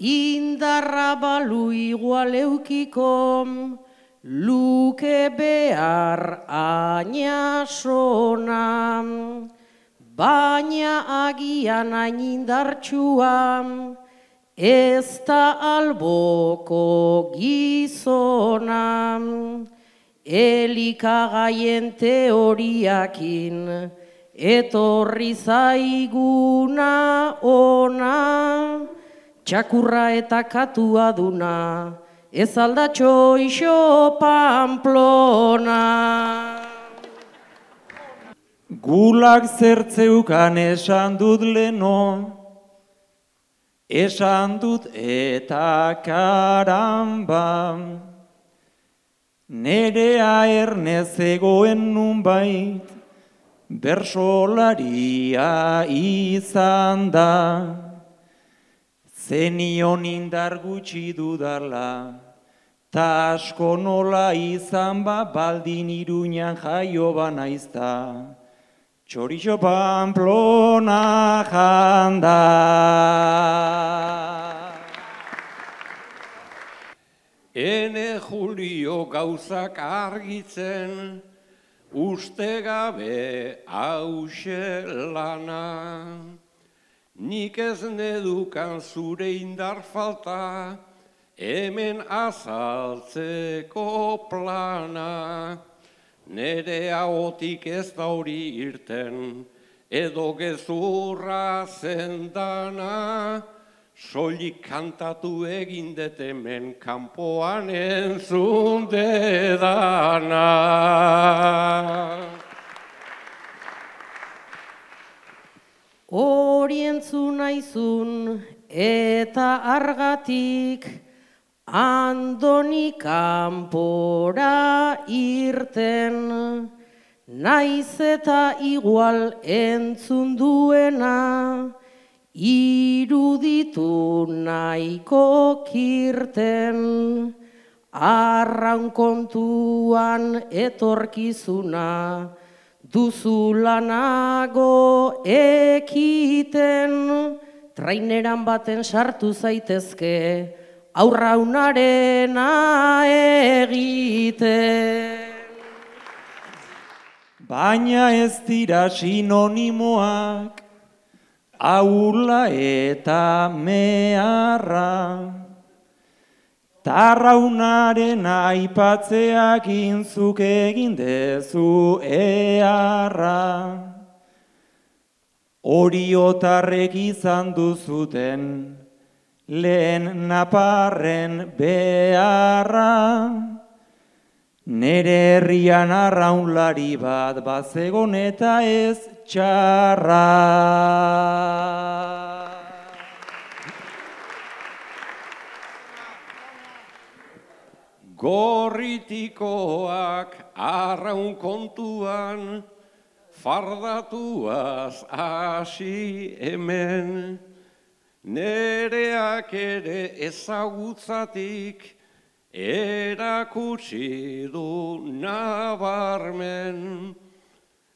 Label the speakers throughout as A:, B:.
A: indarra balu igual eukiko, luke behar ainasona, baina agian hain indartsua, ez da alboko gizona, elikagaien teoriakin, etorri zaiguna ona, txakurra eta katua duna, ez aldatxo iso Pamplona.
B: Gulak zertzeukan esan dut leno, esan dut eta karamba, nerea ernez egoen nunbait, bersolaria izan da, zenion indar gutxi dudala, ta asko nola izan ba baldin Iruñan jaio banaizta, txorixo Pamplona janda.
C: Ene Julio gauzak argitzen, uste gabe hause lana. Nik ez nedukan zure indar falta, hemen azaltzeko plana. Nere ahotik ez da hori irten, edo gezurra zendana, soilik kantatu egin dut hemen kanpoan entzun dedana.
A: Hori entzun naizun eta argatik, Andoni kanpora irten, naiz eta igual entzun duena, iruditu nahiko kirten, arraun kontuan etorkizuna, duzula nago ekiten, traineran baten sartu zaitezke, aurraunarena egiten.
B: Baina ez dira sinonimoak, aula eta meharra, tarraunaren aipatzeak inzuk egin dezu eharra. Oriotarrek izan duzuten, lehen naparren beharra, nere herrian arraunlari bat bazegon eta ez txarra.
C: Gorritikoak arraun kontuan, fardatuaz hasi hemen, nereak ere ezagutzatik erakutsi du nabarmen.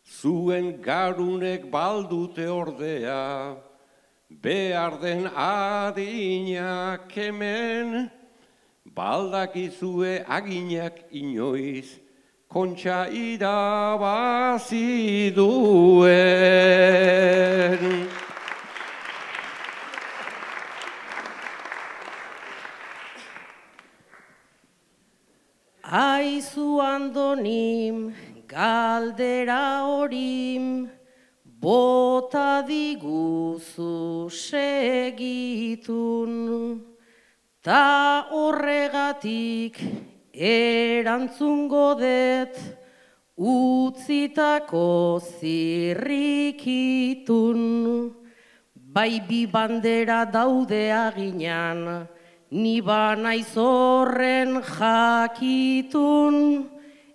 C: Zuen garunek baldute ordea, behar den adinak hemen, baldakizue aginak inoiz, kontxa irabazi duen.
A: Aizu Andonim, galdera horim, bota diguzu segitun, ta horregatik erantzungo det, utzitako zirrikitun, bai bi bandera daude aginan, ni banaiz horren jakitun,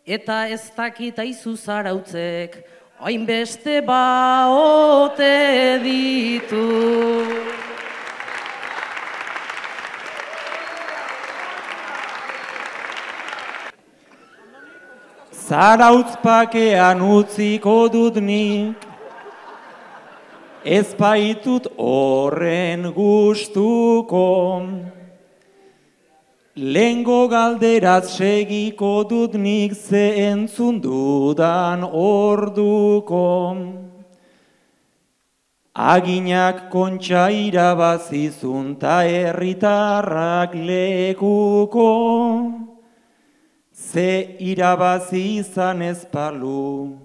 A: eta ez dakit aizu zarautzek, hainbeste baote ditu.
B: Zarautz pakean utziko dut nik, ez baitut horren gustuko. Lehengo galderaz segiko dut nik ze entzun dudan orduko. Aginak kontxa irabazizun ta herritarrak lekuko. Ze irabazi izan ez balu,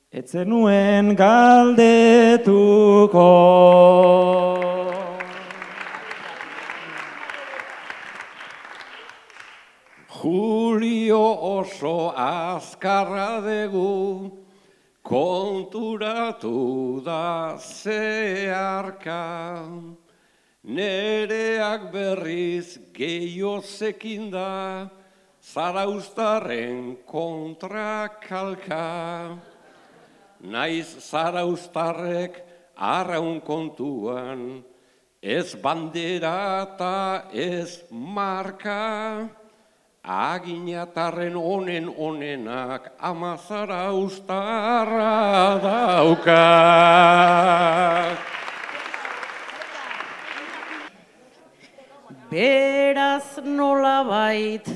B: etzen nuen galdetuko.
C: Julio oso azkarra dugu, konturatu da zeharka. Nereak berriz gehiozekin da, Zarauztarren kontra kalka. Naiz zarauztarrek arraun kontuan, ez bandera eta ez marka. Aginatarren onenak ama zarauztarra dauka.
A: Beraz nolabait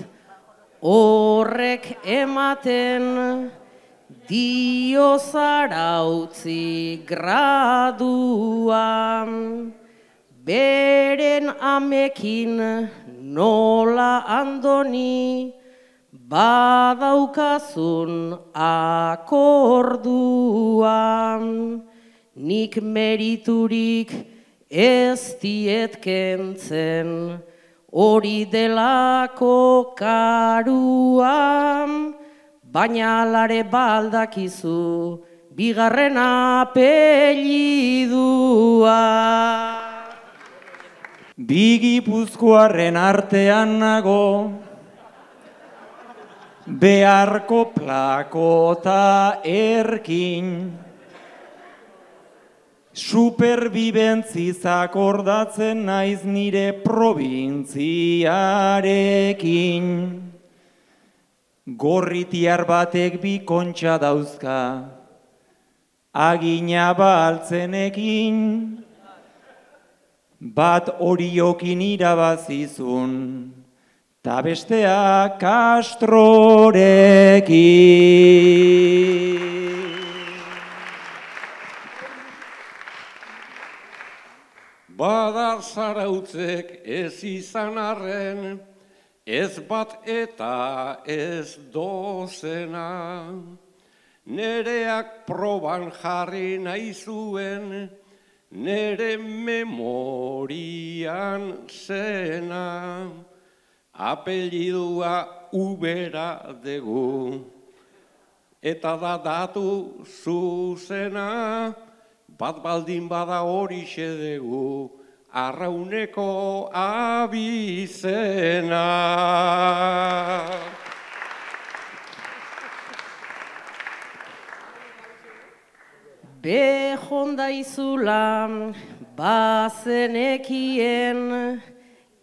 A: horrek ematen dio Zarautzi graduan. Beren amekin nola andoni badaukazun akorduan. Nik meriturik ez diet kentzen, hori delako karuan, baina alare baldakizu bigarren apellidua.
B: Bi Gipuzkoarren artean nago, beharko plakota erkin. Superbibentziz akordatzen naiz nire probintziarekin. Gorritiar batek bi kontxa dauzka, agina baltzenekin. Bat horiokin irabazizun, ta bestea Castrorekin.
C: Badar Zarautzek ez izan arren, ez bat eta ez dozena. Nereak proban jarri nahi zuen, nere memorian zena. Apellidua Ubera dugu, eta da datu zuzena. Bat baldin bada horixe dugu, Arrauneko abizena.
A: Behonda izula bazenekien,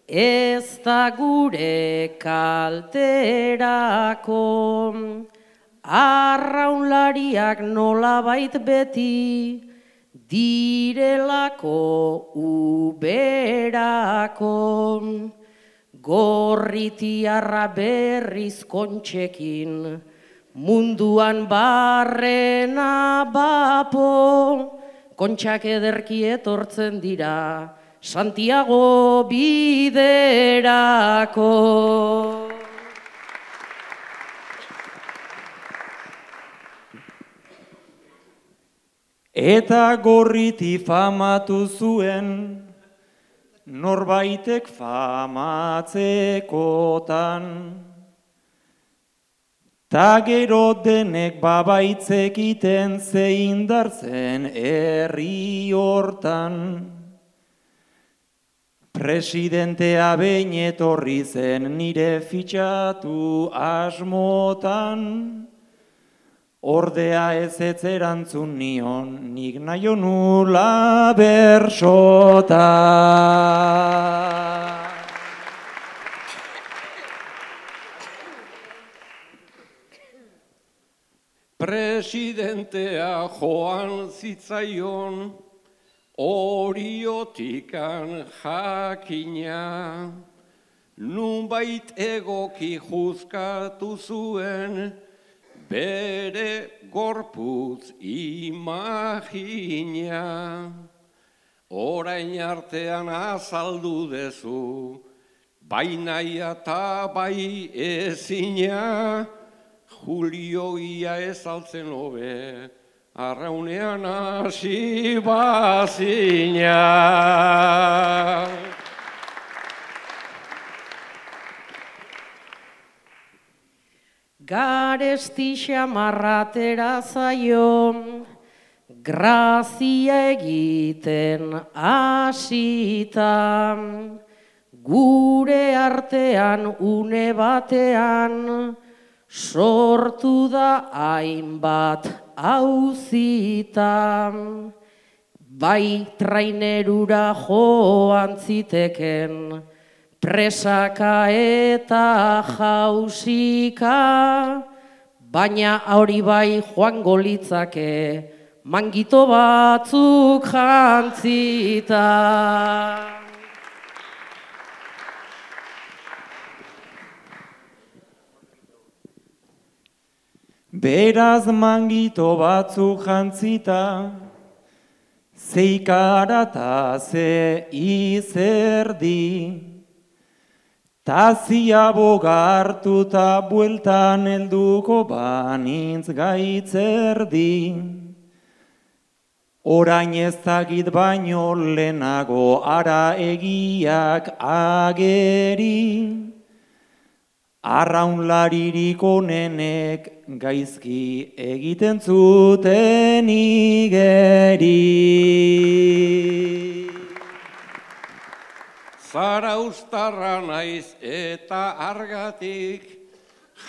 A: ez da gure kalterako. Arraunlariak nolabait beti, direlako Uberako. Gorritiarra berriz kontxekin, munduan barrena bapo. Kontxak ederki etortzen dira, Santiago biderako.
B: Eta Gorriti famatu zuen, norbaitek famatzekotan. Ta gero denek babaitzekiten zein dartzen herri hortan. Presidentea behin etorri zen nire fitxatu asmotan. Ordea ez erantzun nion, nik nahi nula bersota.
C: Presidentea joan zitzaion, Oriotikan jakina, nunbait egoki juzkatu zuen, bere gorputz imagina. Orain artean azaldu dezu, bai naia eta bai ezina, Julio ia ezaltzen hobe, arraunean hasi bazina.
A: Garesti xamarratera zaio, grazia egiten hasita, gure artean une batean, sortu da hainbat auzita. Bai trainerura joan ziteken, presaka eta jausika, baina hori bai joango litzake, mangito batzuk jantzita.
B: Beraz mangito batzuk jantzita, zeikara ta ze izerdi, tazia bogartu ta bueltan helduko banintz gaitzerdi. Orain ezagit baino lehenago ara egiak ageri, arraunlaririk onenek gaizki egiten zuten igeri.
C: Zarauztarra naiz eta argatik,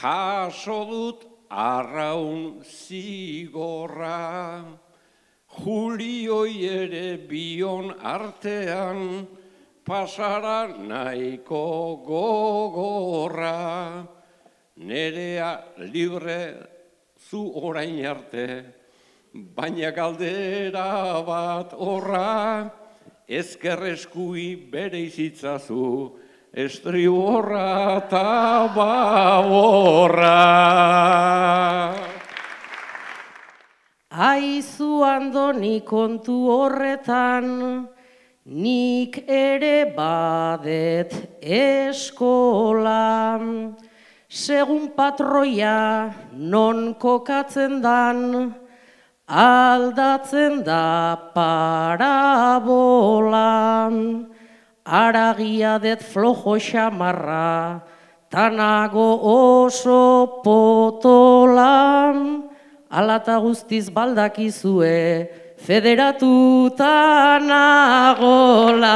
C: jaso dut arraun zigorra. Julioi ere bion artean, pasara nahiko gogorra. Nerea libre zu orain arte, baina galdera bat horra, ezkerreskui bere izitzazu, estriborra eta baborra.
A: Aizu andoni kontu horretan, nik ere badet eskola. Segun patroia non kokatzen dan, aldatzen da parabola. Aragia det flojo xamarra, tanago oso potola. Alata guztiz baldakizue, federatuta nagola.